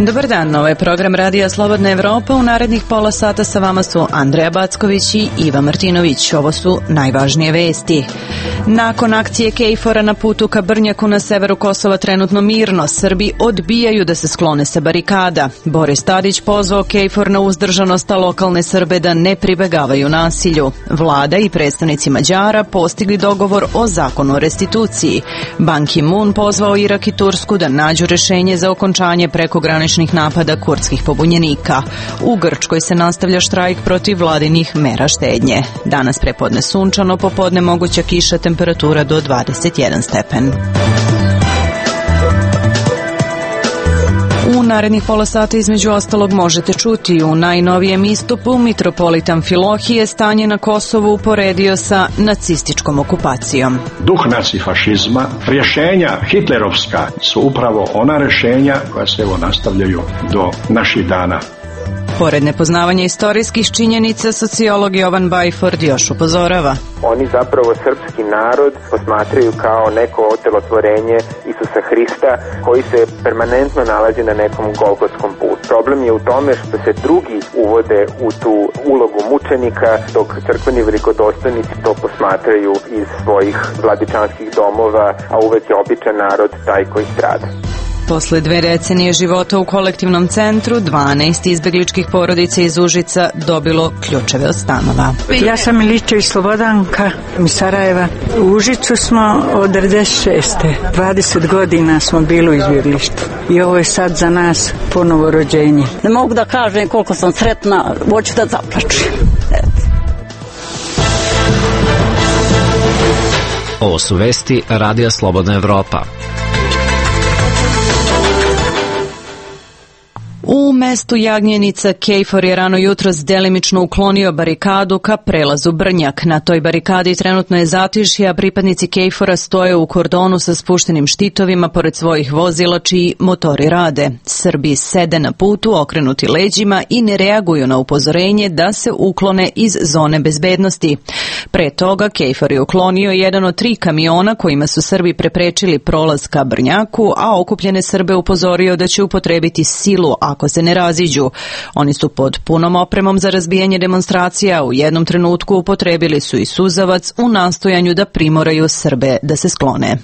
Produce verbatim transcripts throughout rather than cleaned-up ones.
Dobar dan, ovo je program Radija Slobodna Evropa. U narednih pola sata sa vama su Andreja Backović i Iva Martinović. Ovo su najvažnije vesti. Nakon akcije KFOR-a na putu ka Brnjaku na severu Kosova trenutno mirno, Srbi odbijaju da se sklone sa barikada. Boris Tadić pozvao KFOR na uzdržanost, a lokalne Srbe da ne pribegavaju nasilju. Vlada i predstavnici Mađara postigli dogovor o zakonu o restituciji. Ban Ki-moon pozvao Irak i Tursku da nađu rešenje za okončanje prekograničnih napada kurdskih pobunjenika. U Grčkoj se nastavlja štrajk protiv vladinih mera štednje. Danas prepodne sunčano, popodne moguća kiša, temperatura do dvadeset jedan stepen. U narednih pola sata između ostalog možete čuti u najnovijem istupu mitropolita Amfilohije stanje na Kosovu uporedio sa nacističkom okupacijom. Duh nacifašizma, rješenja hitlerovska su upravo ona rješenja koja se evo nastavljaju do naših dana. Pored nepoznavanja istorijskih činjenica, sociolog Jovan Bajford još upozorava. Oni zapravo srpski narod posmatraju kao neko otelotvorenje Isusa Hrista koji se permanentno nalazi na nekom golgotskom putu. Problem je u tome što se drugi uvode u tu ulogu mučenika, dok crkveni velikodostojnici to posmatraju iz svojih vladičanskih domova, a uvek je običan narod taj koji strada. Posle dve decenije života u kolektivnom centru, dvanaest izbegličkih porodica iz Užica dobilo ključeve od stanova. Ja sam Miličević Slobodanka iz Sarajeva. U Užicu smo od devedeset šeste. dvadeset godina smo bili u izbjeglištu. I ovo je sad za nas ponovo rođenje. Ne mogu da kažem koliko sam sretna, hoću da zaplačem. Ovo su vesti Radija Slobodna Evropa. U mestu Jagnjenica KFOR je rano jutros delimično uklonio barikadu ka prelazu Brnjak. Na toj barikadi trenutno je zatišje, a pripadnici KFOR-a stoje u kordonu sa spuštenim štitovima pored svojih vozila čiji motori rade. Srbi sede na putu okrenuti leđima i ne reaguju na upozorenje da se uklone iz zone bezbednosti. Pre toga KFOR je uklonio jedan od tri kamiona kojima su Srbi preprečili prolaz ka Brnjaku, a okupljene Srbe upozorio da će upotrebiti silu ako se ne raziđu. Oni su pod punom opremom za razbijanje demonstracija, u jednom trenutku upotrebili su i suzavac u nastojanju da primoraju Srbe da se sklone.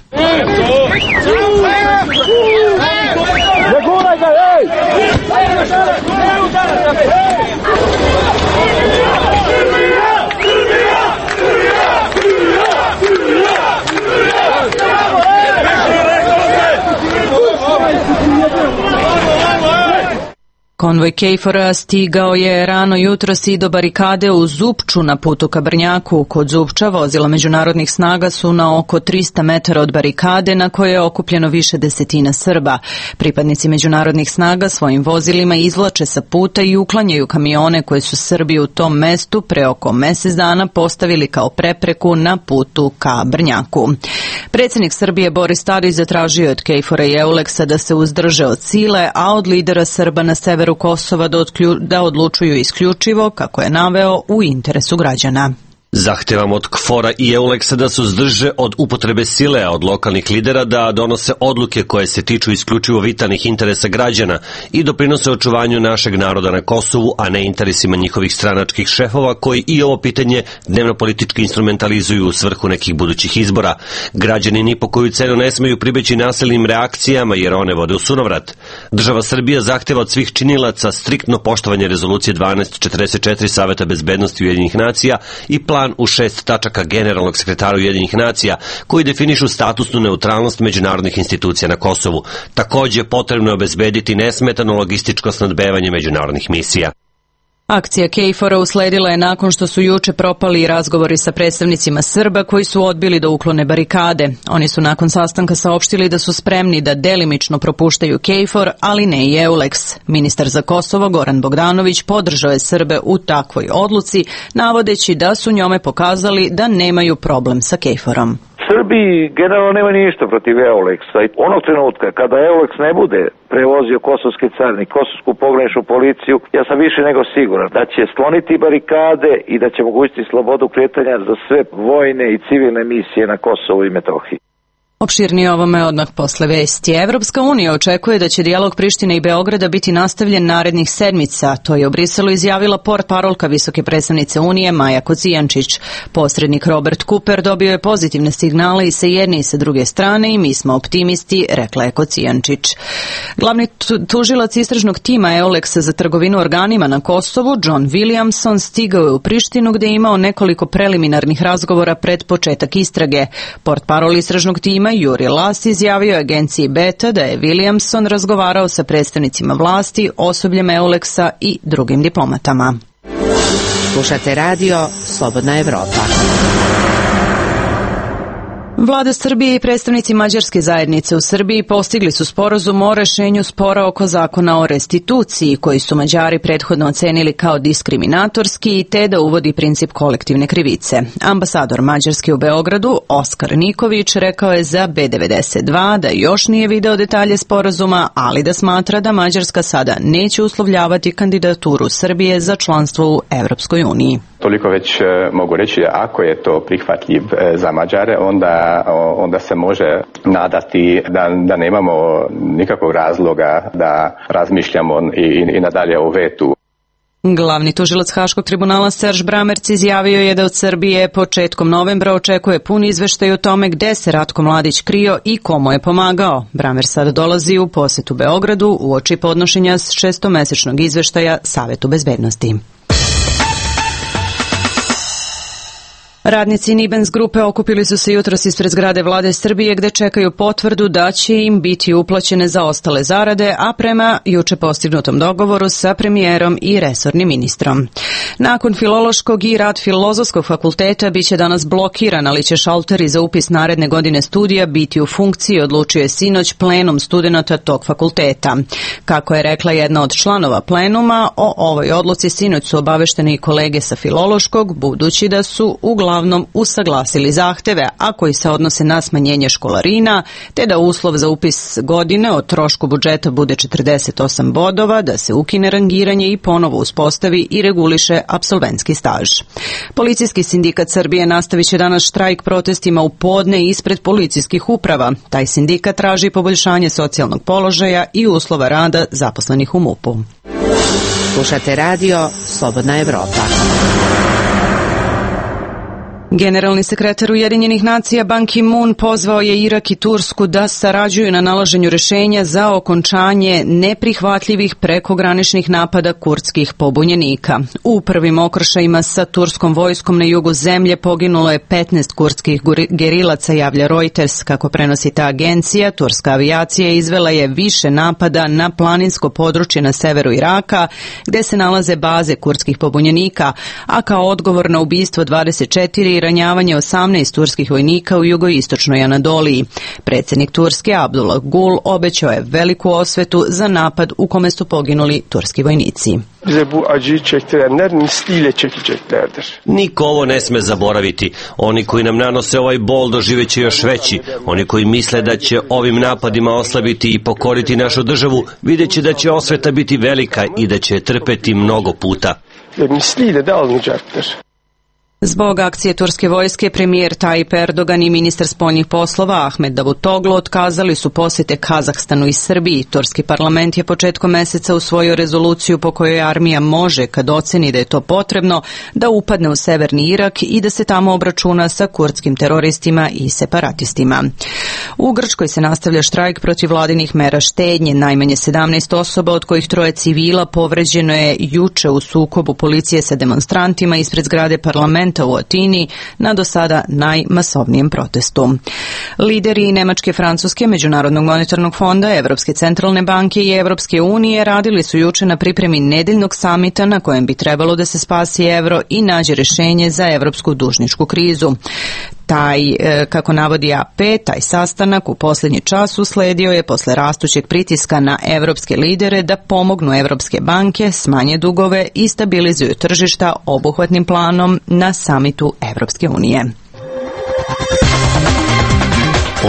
Konvoj KFOR-a stigao je rano jutros i do barikade u Zupču na putu ka Brnjaku. Kod Zupča vozila međunarodnih snaga su na oko trista metara od barikade na kojoj je okupljeno više desetina Srba. Pripadnici međunarodnih snaga svojim vozilima izvlače sa puta i uklanjaju kamione koje su Srbi u tom mestu pre oko mesec dana postavili kao prepreku na putu ka Brnjaku. Predsjednik Srbije Boris Tadić zatražio od KFOR-a i Euleksa da se uzdrže od sile, a od lidera Srba na severu Kosova da, odklju, da odlučuju isključivo, kako je naveo, u interesu građana. Zahtevam od KFOR-a i Euleksa da se uzdrže od upotrebe sile, a od lokalnih lidera da donose odluke koje se tiču isključivo vitalnih interesa građana i doprinose očuvanju našeg naroda na Kosovu, a ne interesima njihovih stranačkih šefova koji i ovo pitanje dnevno politički instrumentalizuju u svrhu nekih budućih izbora. Građani ni po koju cenu ne smeju pribeći nasilnim reakcijama jer one vode u sunovrat. Država Srbija zahteva od svih činilaca striktno poštovanje rezolucije dvanaest četrdeset četiri Saveta bezbednosti Ujedinjenih nacija i plan u šest tačaka generalnog sekretara Ujedinjenih nacija koji definišu statusnu neutralnost međunarodnih institucija na Kosovu. Takođe, potrebno je obezbediti nesmetano logističko snabdevanje međunarodnih misija. Akcija KFOR-a usledila je nakon što su juče propali razgovori sa predstavnicima Srba koji su odbili da uklone barikade. Oni su nakon sastanka saopštili da su spremni da delimično propuštaju KFOR, ali ne i Euleks. Ministar za Kosovo Goran Bogdanović podržao je Srbe u takvoj odluci, navodeći da su njome pokazali da nemaju problem sa KFOR-om. Srbiji generalno nema ništa protiv Euleksa. Onog trenutka kada Euleks ne bude prevozio kosovski carnik, kosovsku pograničnu policiju, ja sam više nego siguran da će skloniti barikade i da će omogućiti slobodu kretanja za sve vojne i civilne misije na Kosovu i Metohiji. Opširnije ovome odmah posle vesti. Evropska unija očekuje da će dijalog Prištine i Beograda biti nastavljen narednih sedmica. To je u Briselu izjavila portparolka visoke predstavnice Unije Maja Kocijančić. Posrednik Robert Cooper dobio je pozitivne signale i sa jedne i sa druge strane i mi smo optimisti, rekla je Kocijančić. Glavni tužilac istražnog tima Euleksa za trgovinu organima na Kosovu, John Williamson, stigao je u Prištinu gde je imao nekoliko preliminarnih razgovora pred početak istrage. Portparol istražnog tima Juri Las izjavio agenciji Beta da je Williamson razgovarao sa predstavnicima vlasti, osobljem Euleksa i drugim diplomatama. Slušate radio Slobodna Evropa. Vlada Srbije i predstavnici mađarske zajednice u Srbiji postigli su sporazum o rešenju spora oko zakona o restituciji, koji su Mađari prethodno ocenili kao diskriminatorski, te da uvodi princip kolektivne krivice. Ambasador Mađarske u Beogradu, Oskar Niković, rekao je za B devedeset dva da još nije video detalje sporazuma, ali da smatra da Mađarska sada neće uslovljavati kandidaturu Srbije za članstvo u Evropskoj uniji. Toliko već mogu reći da ako je to prihvatljiv za Mađare, onda, onda se može nadati da, da nemamo nikakvog razloga da razmišljamo i, i nadalje o vetu. Glavni tužilac Haškog tribunala Serž Bramerc izjavio je da od Srbije početkom novembra očekuje pun izveštaj o tome gde se Ratko Mladić krio i komu je pomagao. Bramerc sad dolazi u posetu Beogradu uoči podnošenja šestomesečnog izveštaja Savetu bezbednosti. Radnici Nibens grupe okupili su se jutros ispred zgrade Vlade Srbije gde čekaju potvrdu da će im biti uplaćene zaostale zarade, a prema juče postignutom dogovoru sa premijerom i resornim ministrom. Nakon Filološkog i Rad Filozofskog fakulteta biće danas blokiran, ali će šalteri za upis naredne godine studija biti u funkciji, odlučio je sinoć plenum studenata tog fakulteta. Kako je rekla jedna od članova plenuma, o ovoj odluci sinoć su obavešteni i kolege sa Filološkog, budući da su uglavnom usaglasili zahteve, a koji se odnose na smanjenje školarina, te da uslov za upis godine o trošku budžeta bude četrdeset osam bodova, da se ukine rangiranje i ponovo uspostavi i reguliše apsolventski staž. Policijski sindikat Srbije nastavit će danas štrajk protestima u podne ispred policijskih uprava. Taj sindikat traži poboljšanje socijalnog položaja i uslova rada zaposlenih u MUP-u. Slušate radio Slobodna Evropa. Generalni sekretar Ujedinjenih nacija Ban Ki-moon pozvao je Irak i Tursku da sarađuju na nalaženju rešenja za okončanje neprihvatljivih prekograničnih napada kurdskih pobunjenika. U prvim okršajima sa turskom vojskom na jugu zemlje poginulo je petnaest kurdskih gerilaca, javlja Reuters. Kako prenosi ta agencija, turska avijacija izvela je više napada na planinsko područje na severu Iraka, gde se nalaze baze kurdskih pobunjenika, a kao odgovor na ubistvo dvadeset četiri i ranjavanje osamnaest turskih vojnika u jugoistočnoj Anadoliji. Predsjednik Turske Abdullah Gul obećao je veliku osvetu za napad u kome su poginuli turski vojnici. Niko ovo ne sme zaboraviti. Oni koji nam nanose ovaj bol doživeće još veći. Oni koji misle da će ovim napadima oslabiti i pokoriti našu državu, vidjet će da će osveta biti velika i da će trpeti mnogo puta. Zbog akcije turske vojske, premijer Tayyip Erdogan i ministar spoljnih poslova Ahmed Davutoglu otkazali su posjete Kazahstanu i Srbiji. Turski parlament je početkom meseca usvojio rezoluciju po kojoj armija može, kad oceni da je to potrebno, da upadne u severni Irak i da se tamo obračuna sa kurdskim teroristima i separatistima. U Grčkoj se nastavlja štrajk protiv vladinih mera štednje. Najmanje sedamnaest osoba, od kojih troje civila, povređeno je juče u sukobu policije sa demonstrantima ispred zgrade parlamenta u Atini na do sada najmasovnijem protestu. Lideri Nemačke, Francuske, Međunarodnog monetarnog fonda, Evropske centralne banke i Evropske unije radili su juče na pripremi nedeljnog samita na kojem bi trebalo da se spasi evro i nađe rešenje za evropsku dužničku krizu. Taj, kako navodi A P, taj sastanak u posljednji čas usledio je posle rastućeg pritiska na evropske lidere da pomognu evropske banke, smanje dugove i stabilizuju tržišta obuhvatnim planom na samitu Evropske unije.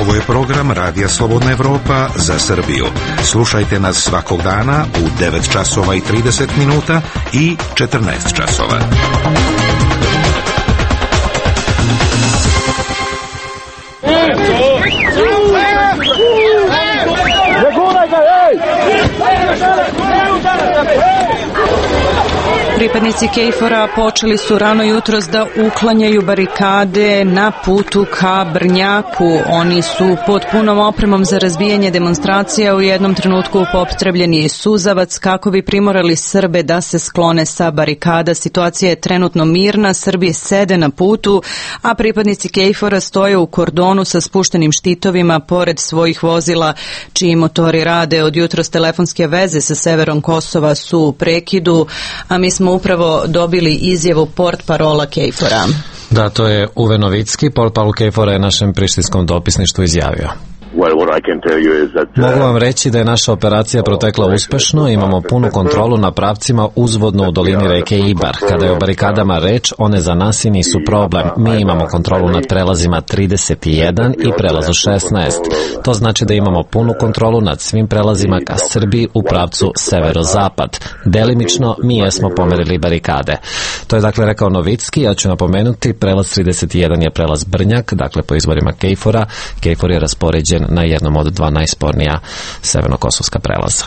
Ovo je program Radija Slobodna Evropa za Srbiju. Slušajte nas svakog dana u devet časova i trideset minuta i četrnaest časova. Eto! Pripadnici KFOR-a počeli su rano jutros da uklanjaju barikade na putu ka Brnjaku. Oni su pod punom opremom za razbijanje demonstracija u jednom trenutku upotrebljeni suzavac kako bi primorali Srbe da se sklone sa barikada. Situacija je trenutno mirna, Srbi sede na putu, a pripadnici KFOR-a stoje u kordonu sa spuštenim štitovima pored svojih vozila čiji motori rade. Od jutros telefonske veze sa severom Kosova su u prekidu, a mi smo upravo dobili izjavu portparola KFOR-a. Da, to je Uwe Novicki, portparol KFOR-a je našem prištinskom dopisništvu izjavio. Mogu vam reći da je naša operacija protekla uspešno, imamo punu kontrolu na pravcima uzvodno u dolini reke Ibar. Kada je o barikadama reč, one za nas i nisu problem. Mi imamo kontrolu nad prelazima trideset jedan i prelazu šesnaest. To znači da imamo punu kontrolu nad svim prelazima ka Srbiji u pravcu severozapad. Delimično mi jesmo pomerili barikade. To je dakle rekao Novicki, ja ću napomenuti, prelaz trideset jedan je prelaz Brnjak, dakle po izborima KFOR-a. KFOR je raspoređen na jednom od dva najspornija severno-kosovska prelaza.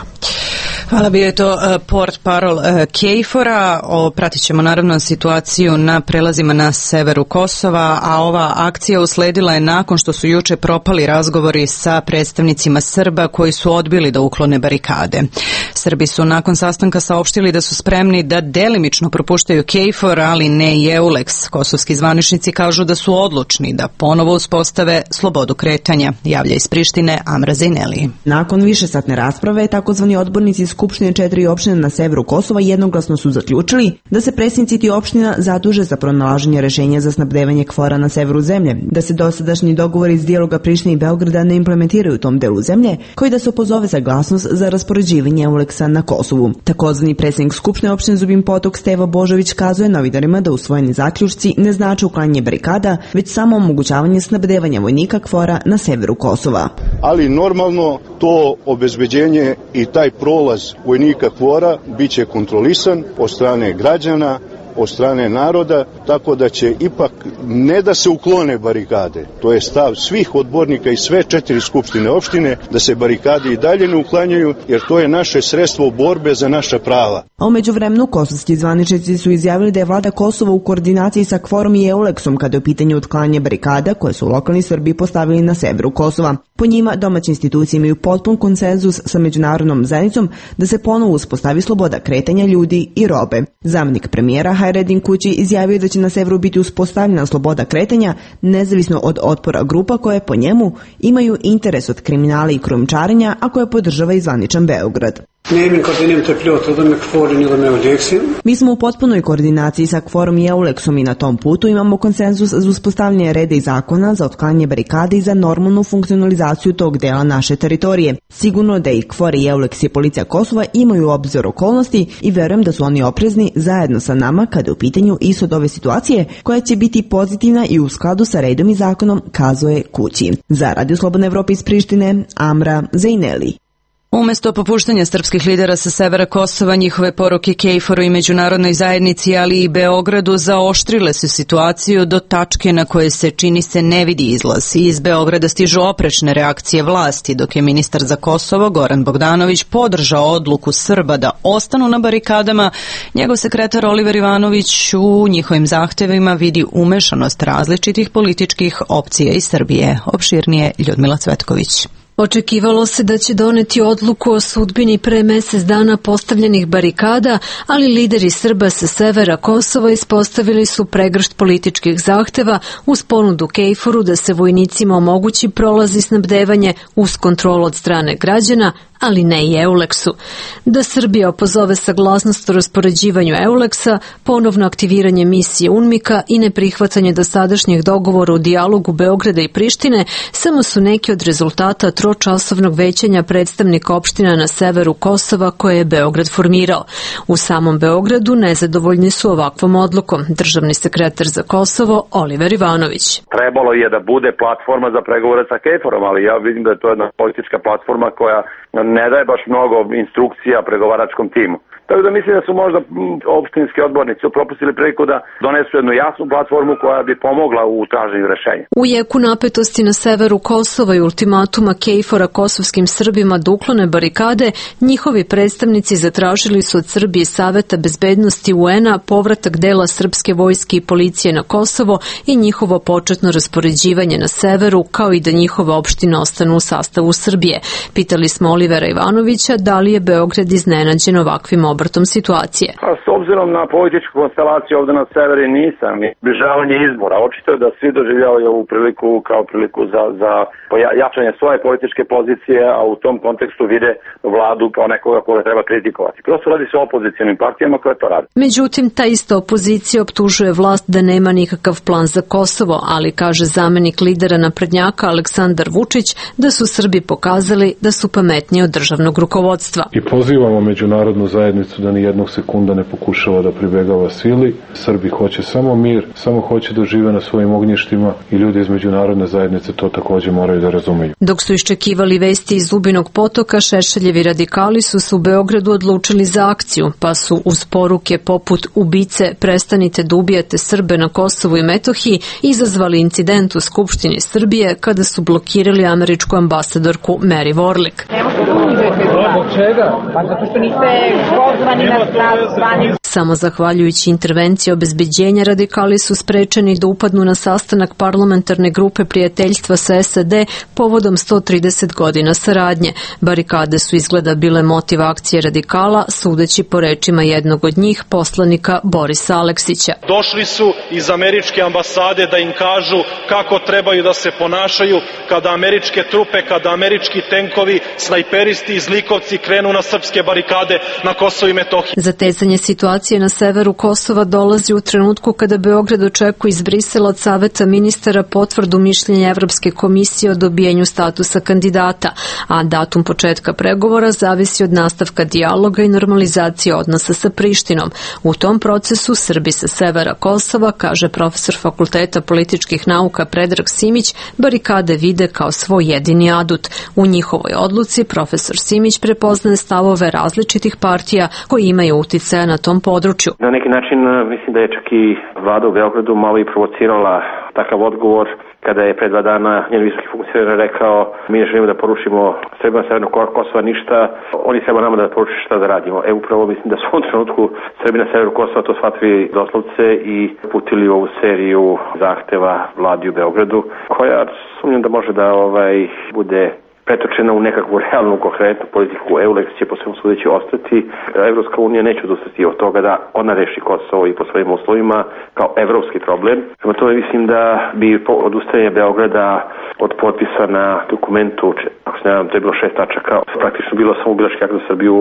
Hvala, bio je to uh, portparol uh, KFOR-a. Pratit ćemo naravno situaciju na prelazima na severu Kosova, a ova akcija usledila je nakon što su juče propali razgovori sa predstavnicima Srba koji su odbili da uklone barikade. Srbi su nakon sastanka saopštili da su spremni da delimično propuštaju KFOR, ali ne i EULEX. Kosovski zvaničnici kažu da su odlučni da ponovo uspostave slobodu kretanja. Javlja iz Prištine Amra Zejneli. Nakon višesatne rasprave, takozvani odbornici Skupštine četiri opštine na severu Kosova jednoglasno su zaključili da se predsjednici tih opština zaduže za pronalaženje rešenja za snabdevanje KFOR-a na severu zemlje, da se dosadašnji dogovori iz dijaloga Prištine i Beograda ne implementiraju u tom delu zemlje, koji da se opozove saglasnost za raspoređivanje EULEX-a na Kosovu. Takozvani predsjednik Skupštine opštine Zubin Potok Stevo Božović kazuje novinarima da usvojeni zaključci ne znače uklanjanje barikada, već samo omogućavanje snabdevanja vojnika KFOR-a na severu Kosova. Ali normalno to obezbeđenje i taj prolaz vojnika KFOR-a biće kontrolisan od strane građana, od strane naroda, tako da će ipak ne da se uklone barikade, to je stav svih odbornika i sve četiri skupštine opštine, da se barikade i dalje ne uklanjaju, jer to je naše sredstvo borbe za naša prava. A umeđu vremenu kosovski zvaničnici su izjavili da je vlada Kosova u koordinaciji sa KFOR-om i EULEX-om kada je u pitanju otklanjanje barikada koje su lokalni Srbi postavili na severu Kosova. Po njima domaće institucije imaju potpun konsenzus sa međunarodnom zajednicom da se ponovo uspostavi sloboda kretanja ljudi i robe. Zamenik premijera Hajredin Kući izjavio da će na severu biti uspostavljena sloboda kretanja nezavisno od otpora grupa koje po njemu imaju interes od kriminala i krijumčarenja, a koje podržava i zvaničan Beograd. Mi smo u potpunoj koordinaciji sa KFOR-om i EULEX-om i na tom putu imamo konsenzus za uspostavljanje reda i zakona, za otklanjanje barikade i za normalnu funkcionalizaciju tog dela naše teritorije. Sigurno da i KFOR i EULEX i policija Kosova imaju obzir okolnosti i verujem da su oni oprezni zajedno sa nama kada je u pitanju ishod ove situacije koja će biti pozitivna i u skladu sa redom i zakonom, kazuje Kući. Za Radio Slobodna Evropa iz Prištine, Amra Zejneli. Umesto popuštanja srpskih lidera sa severa Kosova, njihove poruke KFOR-u i međunarodnoj zajednici, ali i Beogradu, zaoštrile su situaciju do tačke na koje se čini se ne vidi izlaz. Iz Beograda stižu oprečne reakcije vlasti, dok je ministar za Kosovo Goran Bogdanović podržao odluku Srba da ostanu na barikadama. Njegov sekretar Oliver Ivanović u njihovim zahtevima vidi umešanost različitih političkih opcija iz Srbije. Opširnije Ljudmila Cvetković. Očekivalo se da će doneti odluku o sudbini pre mesec dana postavljenih barikada, ali lideri Srba sa severa Kosova ispostavili su pregršt političkih zahteva uz ponudu KFOR-u da se vojnicima omogući prolaz i snabdevanje uz kontrolu od strane građana, ali ne i EULEX-u. Da Srbija opozove saglasnost o raspoređivanju EULEX-a, ponovno aktiviranje misije UNMIK-a i neprihvatanje dosadašnjih dogovora u dijalogu Beograda i Prištine samo su neki od rezultata tročasovnog većanja predstavnika opština na severu Kosova koje je Beograd formirao. U samom Beogradu nezadovoljni su ovakvom odlukom. Državni sekretar za Kosovo Oliver Ivanović. Trebalo je da bude platforma za pregovore sa KFOR-om, ali ja vidim da je to jedna politička platforma koja ne daje baš mnogo instrukcija pregovaračkom timu. Tako da mislim da su možda opštinski odbornici propustili priliku da donesu jednu jasnu platformu koja bi pomogla u traženju rešenja. U jeku napetosti na severu Kosova i ultimatuma Kejfora kosovskim Srbima da uklone barikade, njihovi predstavnici zatražili su od Srbije Saveta bezbednosti U N-a povratak dela srpske vojske i policije na Kosovo i njihovo početno raspoređivanje na severu, kao i da njihove opštine ostanu u sastavu Srbije. Pitali smo Olivera Ivanovića da li je Beograd iznenađen ovakvim obratom situacije. A s obzirom na političku konstelaciju ovde na severi nisam. Bližavanje izbora. Očito je da svi doživljavaju ovu priliku kao priliku za, za jačanje svoje političke pozicije, a u tom kontekstu vide vladu kao nekoga koga treba kritikovati. Prosto radi se o opozicionim partijama koje to rade. Međutim, ta ista opozicija optužuje vlast da nema nikakav plan za Kosovo, ali kaže zamenik lidera naprednjaka Aleksandar Vučić da su Srbi pokazali da su pametniji od državnog rukovodstva. I pozivamo međunarodnu zajednicu da ni jednog sekunda ne pokušava da pribegava sili. Srbi hoće samo mir, samo hoće da žive na svojim ognjištima i ljudi iz međunarodne zajednice to takođe moraju da razumeju. Dok su iščekivali vesti iz Zubinog Potoka, Šešeljevi radikali su se u Beogradu odlučili za akciju, pa su uz poruke poput ubice prestanite da ubijate Srbe na Kosovu i Metohiji izazvali incident u Skupštini Srbije kada su blokirali američku ambasadorku Mary Warlick. Zbog čega? Pa zato što niste pozvani na zvanje. Samo zahvaljujući intervenciji obezbeđenja radikali su sprečeni da upadnu na sastanak parlamentarne grupe prijateljstva sa S A D povodom sto trideset godina saradnje. Barikade su izgleda bile motiv akcije radikala, sudeći po rečima jednog od njih, poslanika Borisa Aleksića. Došli su iz američke ambasade da im kažu kako trebaju da se ponašaju kada američke trupe, kada američki tenkovi, snajperisti i zlikovci krenu na srpske barikade na Kosovu i Metohiji. Zatezanje situacije na severu Kosova dolazi u trenutku kada Beograd očekuje iz Brisela od Saveta ministara potvrdu mišljenja Evropske komisije o dobijenju statusa kandidata, a datum početka pregovora zavisi od nastavka dijaloga i normalizacije odnosa sa Prištinom. U tom procesu Srbi sa severa Kosova, kaže profesor Fakulteta političkih nauka Predrag Simić, barikade vide kao svoj jedini adut. U njihovoj odluci profesor Simić prepoznaje stavove različitih partija koji imaju uticaja na tom području. Na neki način mislim da je čak i vlada u Beogradu malo i provocirala takav odgovor kada je pre dva dana njen visoki funkcioner rekao mi ne želimo da porušimo Srbima severnog Kosova ništa, oni treba nama da poruči šta da radimo. E upravo mislim da su u ovom trenutku Srbi na severu Kosova to shvatili doslovce i putili ovu seriju zahteva vladi u Beogradu, koja sumnjam da može da ovaj bude pretočena u nekakvu realnu, konkretnu politiku. EULEX će po svemu sudeći ostati. Evropska unija neće odustati od toga da ona reši Kosovo i po svojim uslovima kao evropski problem. Prema tome mislim da bi odustajanje Beograda od potpisa na dokumentu, ako se ne znam, to je bilo šest tačaka, praktično bilo samo bilački akt za Srbiju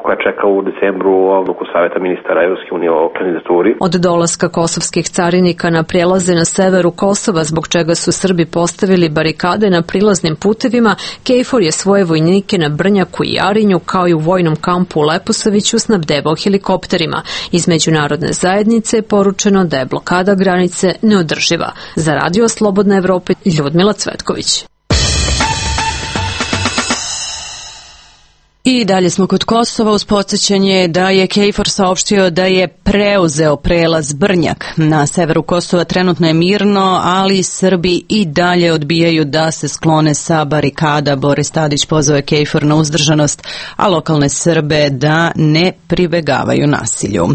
koja čeka u decembru odluku Saveta ministara Evropske unije o kandidaturi. Od dolaska kosovskih carinika na prijelaze na severu Kosova, zbog čega su Srbi postavili barikade na prilaznim putevima, Kejfor je svoje vojnike na Brnjaku i Jarinju, kao i u vojnom kampu u Leposaviću, snabdevao helikopterima. Iz međunarodne zajednice je poručeno da je blokada granice neodrživa. Za Radio Slobodna Evropa, Ljudmila Cvetković. I dalje smo kod Kosova uz podsjećanje da je Kejfor saopštio da je preuzeo prelaz Brnjak. Na severu Kosova trenutno je mirno, ali Srbi i dalje odbijaju da se sklone sa barikada. Boris Tadić pozvao je Kejfor na uzdržanost, a lokalne Srbe da ne pribegavaju nasilju.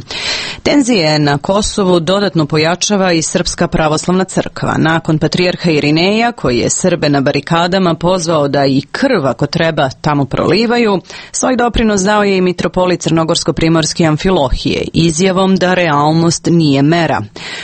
Tenzije na Kosovu dodatno pojačava i Srpska pravoslavna crkva. Nakon patrijarha Irineja, koji je Srbe na barikadama pozvao da i krv ako treba tamo prolivaju, svoj doprinos dao je i mitropolit Crnogorsko-primorski Amfilohije izjavom da realnost nije mera.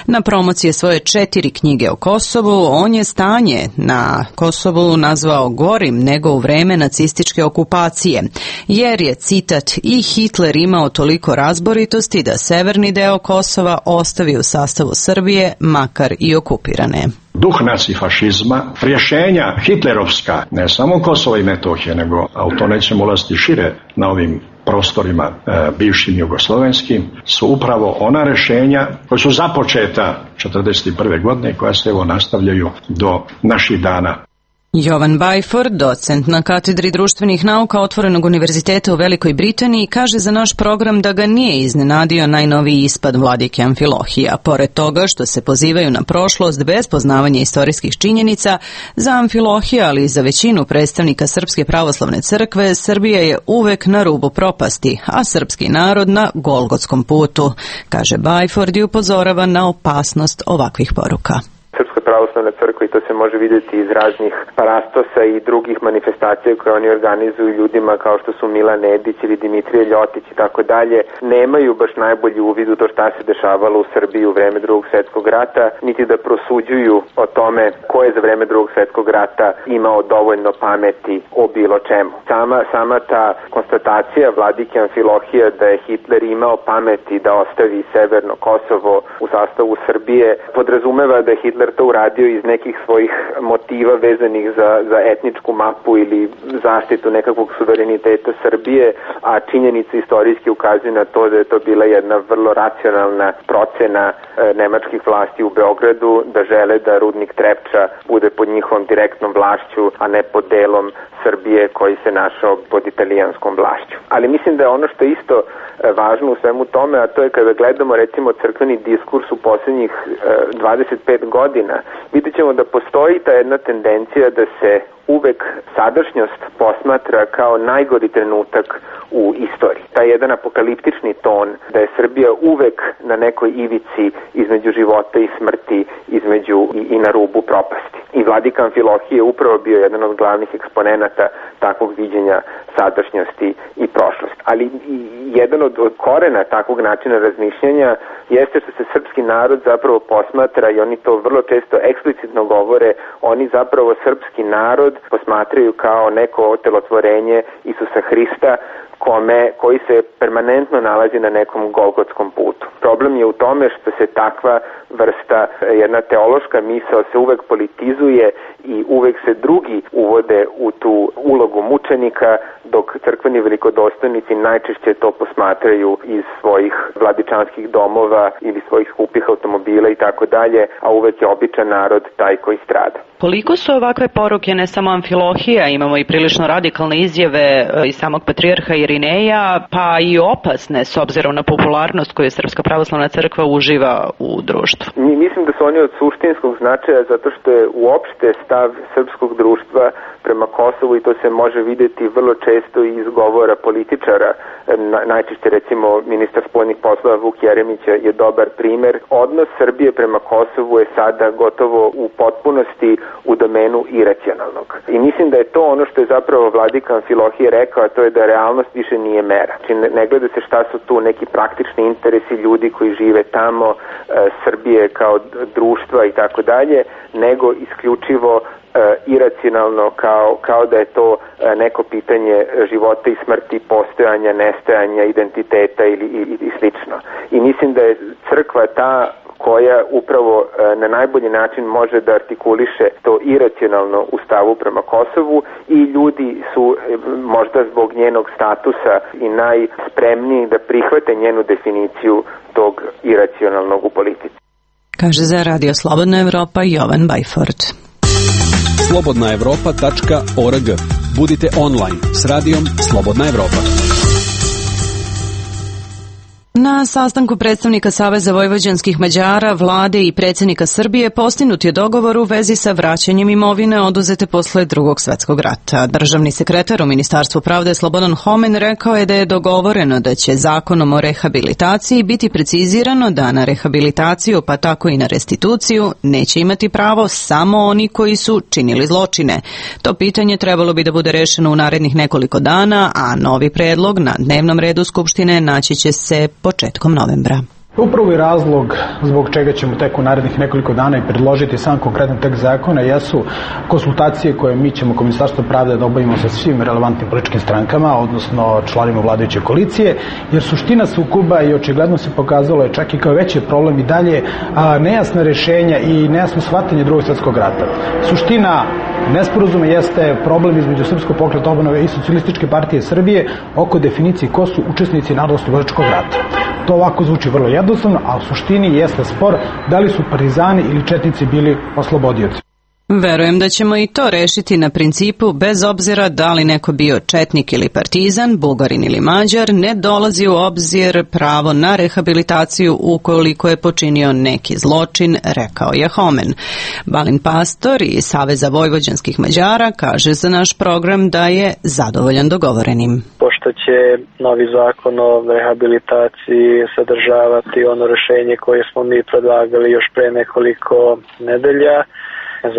Na promociji svoje četiri knjige o Kosovu, on je stanje na Kosovu nazvao gorim nego u vreme nacističke okupacije, jer je, citat, i Hitler imao toliko razboritosti da severni deo Kosova ostavi u sastavu Srbije, makar i okupirane. Duh nacifašizma, rješenja hitlerovska, ne samo Kosova i Metohije, nego, a u to nećemo ulaziti šire na ovim prostorima e, bivšim jugoslovenskim, su upravo ona rješenja koja su započeta četrdeset prve godine i koja se evo nastavljaju do naših dana. Jovan Bajford, docent na katedri društvenih nauka Otvorenog univerziteta u Velikoj Britaniji, kaže za naš program da ga nije iznenadio najnoviji ispad vladike Amfilohija. Pored toga što se pozivaju na prošlost bez poznavanja istorijskih činjenica, za Amfilohija, ali i za većinu predstavnika Srpske pravoslavne crkve, Srbija je uvek na rubu propasti, a srpski narod na golgotskom putu, kaže Bajford i upozorava na opasnost ovakvih poruka. Srpska pravoslavna crkva, i to se može vidjeti iz raznih parastosa i drugih manifestacija koje oni organizuju ljudima kao što su Milan Nedić ili Dimitrije Ljotić i tako dalje, nemaju baš najbolji uvid u to šta se dešavalo u Srbiji u vreme Drugog svjetskog rata, niti da prosuđuju o tome ko je za vreme Drugog svjetskog rata imao dovoljno pameti o bilo čemu. Sama, sama ta konstatacija vladike Amfilohija da je Hitler imao pameti da ostavi severno Kosovo u sastavu Srbije podrazumeva da je Hitler to uradio iz nekih svojih motiva vezanih za, za etničku mapu ili zaštitu nekakvog suvereniteta Srbije, a činjenice istorijski ukazuju na to da je to bila jedna vrlo racionalna procena e, nemačkih vlasti u Beogradu, da žele da rudnik Trepča bude pod njihovom direktnom vlašću, a ne pod delom Srbije koji se našao pod italijanskom vlašću. Ali mislim da je ono što je isto e, važno u svemu tome, a to je kada gledamo recimo crkveni diskurs u posljednjih e, dvadeset pet godina, vidjet ćemo da postoji ta jedna tendencija da se uvek sadašnjost posmatra kao najgori trenutak u istoriji. Taj jedan apokaliptični ton da je Srbija uvek na nekoj ivici između života i smrti, između i, i na rubu propasti. I vladika Amfilohije je upravo bio jedan od glavnih eksponenata takvog viđenja sadašnjosti i prošlosti. Ali i jedan od, od korena takvog načina razmišljanja jeste što se srpski narod zapravo posmatra, i oni to vrlo često eksplicitno govore, oni zapravo srpski narod posmatraju kao neko otelotvorenje Isusa Hrista, kome, koji se permanentno nalazi na nekom golgotskom putu. Problem je u tome što se takva vrsta, jedna teološka misao se uvek politizuje i uvek se drugi uvode u tu ulogu mučenika, dok crkveni velikodostojnici najčešće to posmatraju iz svojih vladičanskih domova ili svojih skupih automobila i tako dalje, a uvek je običan narod taj koji strada. Koliko su ovakve poruke ne samo Amfilohija, imamo i prilično radikalne izjave iz samog patrijarha Irineja, pa i opasne s obzirom na popularnost koju Srpska pravoslavna crkva uživa u društvu? Mi mislim da su oni od suštinskog značaja zato što je uopšte stav srpskog društva prema Kosovu, i to se može vidjeti vrlo često iz govora političara. Najčešće recimo ministar spoljnih poslova Vuk Jeremić je dobar primer. Odnos Srbije prema Kosovu je sada gotovo u potpunosti u domenu iracionalnog. I mislim da je to ono što je zapravo vladika Amfilohije rekao, a to je da realnost više nije mera. Znači ne gleda se šta su tu neki praktični interesi ljudi koji žive tamo, e, Srbije kao društva i tako dalje, nego isključivo e, iracionalno kao, kao da je to e, neko pitanje života i smrti, postojanja, nestajanja, identiteta ili, ili, ili slično. I mislim da je crkva ta koja upravo na najbolji način može da artikuliše to iracionalno u stavu prema Kosovu, i ljudi su možda zbog njenog statusa i najspremniji da prihvate njenu definiciju tog iracionalnog u politici. Kaže za Radio Slobodna Evropa Jovan Bajford. slobodna evropa tačka org. Budite online s radijom Slobodna Evropa. Na sastanku predstavnika Saveza vojvođanskih Mađara, vlade i predsjednika Srbije postignut je dogovor u vezi sa vraćanjem imovine oduzete posle Drugog svetskog rata. Državni sekretar u Ministarstvu pravde Slobodan Homen rekao je da je dogovoreno da će zakonom o rehabilitaciji biti precizirano da na rehabilitaciju, pa tako i na restituciju, neće imati pravo samo oni koji su činili zločine. To pitanje trebalo bi da bude rešeno u narednih nekoliko dana, a novi predlog na dnevnom redu Skupštine naći će se početkom novembra. Upravo i razlog zbog čega ćemo tek u narednih nekoliko dana i predložiti sam konkretan tekst zakona jesu konsultacije koje mi ćemo kao Ministarstvo pravde da obavimo sa svim relevantnim političkim strankama, odnosno članima vladajuće koalicije, jer suština sukoba i očigledno se pokazalo je čak i kao veći problem i dalje a, nejasna rešenja i nejasno shvatanje Drugog svjetskog rata. Suština nesporazuma jeste problem između Srpskog pokreta obnove i Socijalističke partije Srbije oko definicije ko su učesnici Narodnooslobodilačkog rata. To ovako zvuči vrlo jednostavno, a u suštini jeste spor da li su partizani ili četnici bili oslobodioci. Verujem da ćemo i to rešiti na principu bez obzira da li neko bio četnik ili partizan, bugarin ili mađar, ne dolazi u obzir pravo na rehabilitaciju ukoliko je počinio neki zločin, rekao je Homen. Balin Pastor iz Saveza vojvođanskih Mađara kaže za naš program da je zadovoljan dogovorenim. Pošto će novi zakon o rehabilitaciji sadržavati ono rešenje koje smo mi predlagali još pre nekoliko nedelja,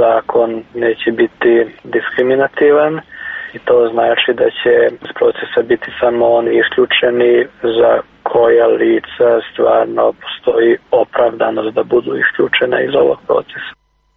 zakon neće biti diskriminativan i to znači da će iz procesa biti samo oni isključeni za koja lica stvarno postoji opravdanost da budu isključena iz ovog procesa.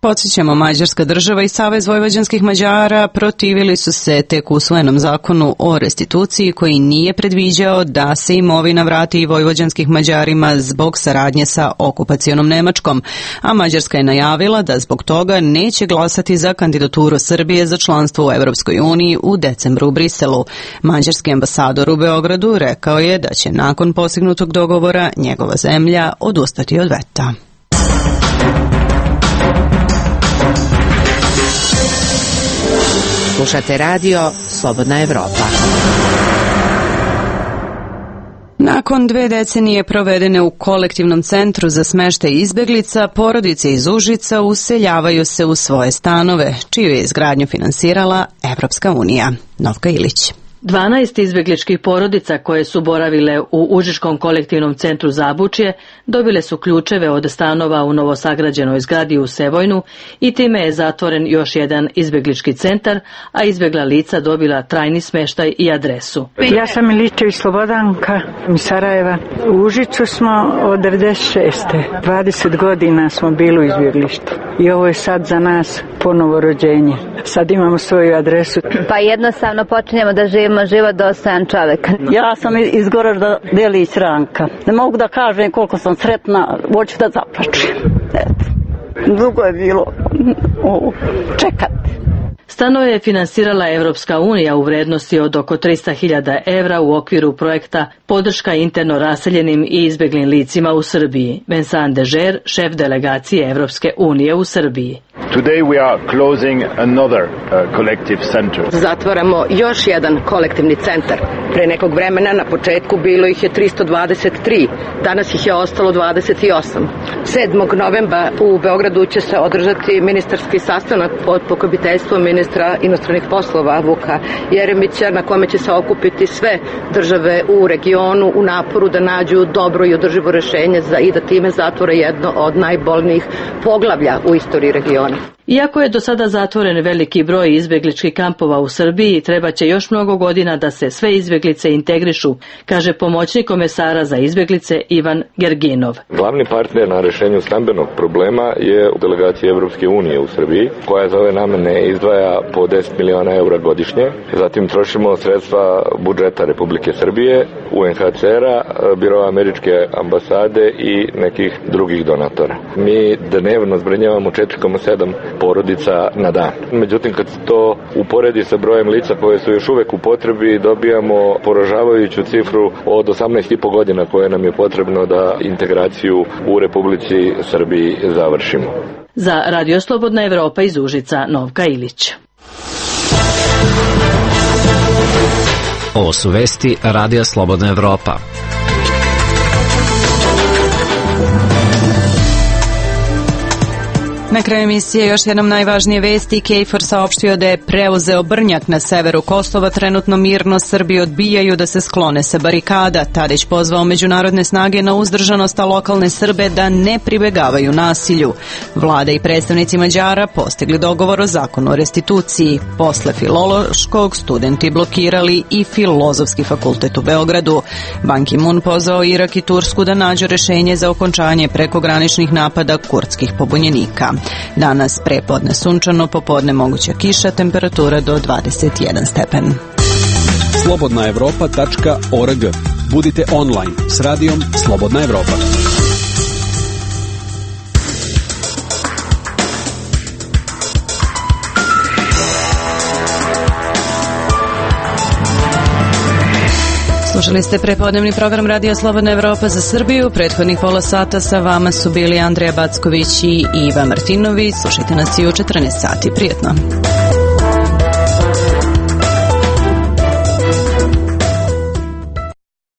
Podsjećamo, Mađarska država i Savez vojvođanskih Mađara protivili su se tek usvojenom zakonu o restituciji koji nije predviđao da se imovina vrati i vojvođanskih Mađarima zbog saradnje sa okupacionom Nemačkom, a Mađarska je najavila da zbog toga neće glasati za kandidaturu Srbije za članstvo u Evropskoj uniji u decembru u Briselu. Mađarski ambasador u Beogradu rekao je da će nakon postignutog dogovora njegova zemlja odustati od veta. Slušate radio Slobodna Evropa. Nakon dve decenije provedene u kolektivnom centru za smeštaj izbeglica, porodice iz Užica useljavaju se u svoje stanove, čiju je izgradnju finansirala Evropska unija. Novka Ilić. dvanaest izbegličkih porodica koje su boravile u Užičkom kolektivnom centru Zabučje dobile su ključeve od stanova u novosagrađenoj zgradi u Sevojnu i time je zatvoren još jedan izbeglički centar, a izbegla lica dobila trajni smeštaj i adresu. Ja sam Miličević Slobodanka iz Sarajeva. U Užicu smo od devedeset šeste. dvadeset godina smo bili u izbjeglištu i ovo je sad za nas ponovo rođenje. Sad imamo svoju adresu. Pa jednostavno počinjemo da živimo život dostojan čoveka. Ja sam iz Goražda Delić Ranka. Ne mogu da kažem koliko sam sretna, hoću da zaplačem. Dugo je bilo čekati. Stanove je finansirala Evropska unija u vrednosti od oko tristo hiljada evra u okviru projekta Podrška interno raseljenim i izbeglim licima u Srbiji. Vincent Dežer, šef delegacije Evropske unije u Srbiji. Today we are closing another uh, collective center. Zatvaramo još jedan kolektivni centar. Pre nekog vremena na početku bilo ih je tristo dvadeset tri, danas ih je ostalo dvadeset osam. sedmog novembra u Beogradu će se održati ministarski sastanak pod pokroviteljstvom ministra inostranih poslova Vuka Jeremića, na kome će se okupiti sve države u regionu u naporu da nađu dobro i održivo rešenje za i da time zatvore jedno od najbolnijih poglavlja u istoriji regiona. Iako je do sada zatvoren veliki broj izbegličkih kampova u Srbiji, treba će još mnogo godina da se sve izbeglice integrišu, kaže pomoćnik komesara za izbeglice Ivan Gerginov. Glavni partner na rešenju stambenog problema je delegacija Evropske unije u Srbiji, koja za ove namene izdvaja po deset miliona eura godišnje. Zatim trošimo sredstva budžeta Republike Srbije, U N H C R-a, Biroa američke ambasade i nekih drugih donatora. Mi dnevno zbrinjavamo četiri zarez sedam porodica na dan. Međutim, kad se to uporedi sa brojem lica koje su još uvek u potrebi, dobijamo poražavajuću cifru od osamnaest i po godina koje nam je potrebno da integraciju u Republici Srbiji završimo. Za Radio Slobodna Evropa iz Užica, Novka Ilić. Ovo su vesti Radija Slobodna Evropa. Na kraju emisije još jednom najvažnije vesti. KFOR saopštio da je preuzeo Brnjak na severu Kosova. Trenutno mirno Srbi odbijaju da se sklone sa barikada. Tadić pozvao međunarodne snage na uzdržanost, a lokalne Srbe da ne pribegavaju nasilju. Vlada i predstavnici Mađara postigli dogovor o zakonu o restituciji. Posle filološkog studenti blokirali i Filozofski fakultet u Beogradu. Ban Ki-moon pozvao Irak i Tursku da nađu rešenje za okončanje prekograničnih napada kurdskih pobunjenika. Danas prepodne sunčano, popodne moguća kiša, temperatura do dvadeset jedan stepen. slobodna evropa tačka org. Budite online s radijom Slobodna Evropa. Slušali ste prepodnevni program Radija Slobodna Evropa za Srbiju. Prethodnih pola sata sa vama su bili Andreja Backović i Iva Martinović. Slušajte nas i u četrnaest sati. Prijetno.